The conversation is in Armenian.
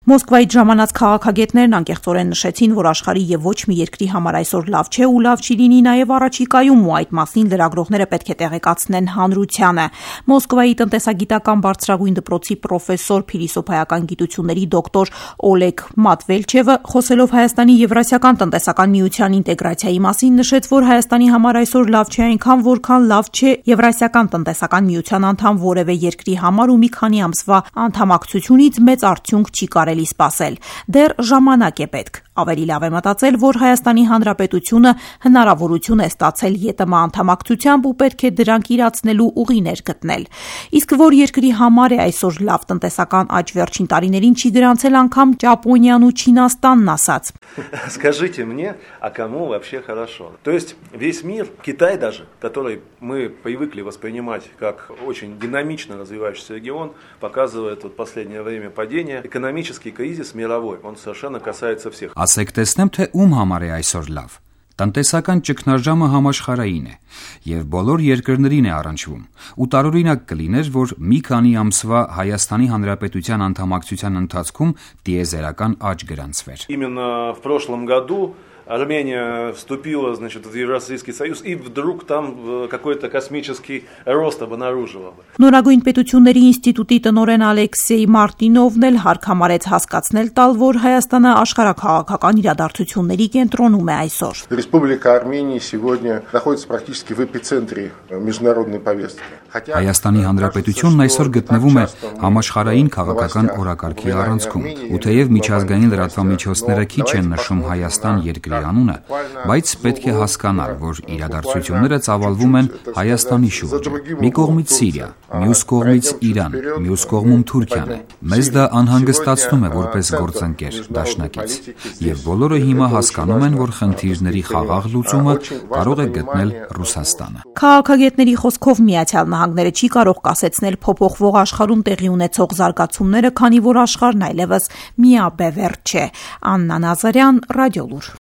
Մոսկվայից ժամանած քաղաքագետներն անկեղծորեն նշեցին, որ աշխարհի եւ ոչ մի երկրի համար այսօր լավ չէ ու լավ չի լինի նաեւ առաջիկայում, ու այդ մասին լրագրողները պետք է տեղեկացնեն հանրությանը։ Մոսկվայի տնտեսագիտական բարձրագույն դպրոցի պրոֆեսոր, փիլիսոփայական գիտությունների դոկտոր Օլեգ Մատվելչևը, խոսելով Հայաստանի Եվրասիական տնտեսական միության ինտեգրացիայի մասին, նշեց, որ Հայաստանի համար այսօր լավ չէ այնքան, որքան լավ չէ Եվրասիական տնտեսական միության անդամ որևէ երկրի համար, ու մի քանի ամսվա անդամակցությունից մեծ արդյունք չի կարելի սպասել։ Դեռ ժամանակ է պետք։ Ավելի լավ է մտածել, որ Հայաստանի Հանրապետությունը հնարավորություն է ստացել ԵՏՄ անդամակցությամբ ու պետք է դրանք իրացնելու ուղիներ գտնել։ Իսկ որ երկրի համար է այսօր լավ տնտեսական աճ վերջին տարիներին չի գրանցել անգամ Ճապոնիան ու Չինաստանն ասաց։ Скажите мне, а кому вообще хорошо? То есть весь мир, Китай даже, который мы привыкли воспринимать как очень динамично развивающийся регион, показывает в последнее время падение. Экономический кризис мировой, он совершенно касается всех. Ասեք տեսնեմ, թե ում համար է այսօր լավ։ Տնտեսական ճգնաժամը համաշխարհային է եւ բոլոր երկրներին է առնչվում։ Ու տարօրինակ կլիներ, որ մի քանի ամսվա Հայաստանի Հանրապետության անդամակցության ընթացքում տիեզերական աճ գրանցվեր։ Именно в прошлом году Армения вступила, значит, в Евразийский союз, и вдруг там какой-то космический рост обнаружила. Նորագույն պետությունների ինստիտուտի տնօրեն Ալեքսեյ Մարտինովն էլ հարկ համարեց հասկացնել տալ, որ Հայաստանը աշխարհաքաղաքական իրադարձությունների կենտրոնում է այսօր։ Республика Армения сегодня находится практически в эпицентре международной повестки. Հայաստանի Հանրապետությունն այսօր գտնվում է համաշխարհային քաղաքական օրակարգի առանցքում, ու թեև միջազգային լրատվամիջոցները քիչ են նշում Հայաստան երկրի անունը, բայց պետք է հասկանալ, որ իրադարձությունները ծավալվում են Հայաստանի շուրջը։ Մի կողմից Սիրիա, մյուս կողմից Իրան, մյուս կողմում Թուրքիան է։ Մեզ դա անհանգստացնում է որպես գործընկեր, դաշնակից, եւ բոլորը հիմա հասկանում են, որ խնդիրների խաղաղ լուծումը կարող է գտնել Ռուսաստանը։ Քաղաքագետների խոսքով Միացյալ Նահանգները չի կարող կասեցնել փոփոխվող աշխարհում տեղի ունեցող զարգացումները, քանի որ աշխարհն այլևս միաբևեռ չէ։ Աննա Նազարյան, Ռադիոլուր։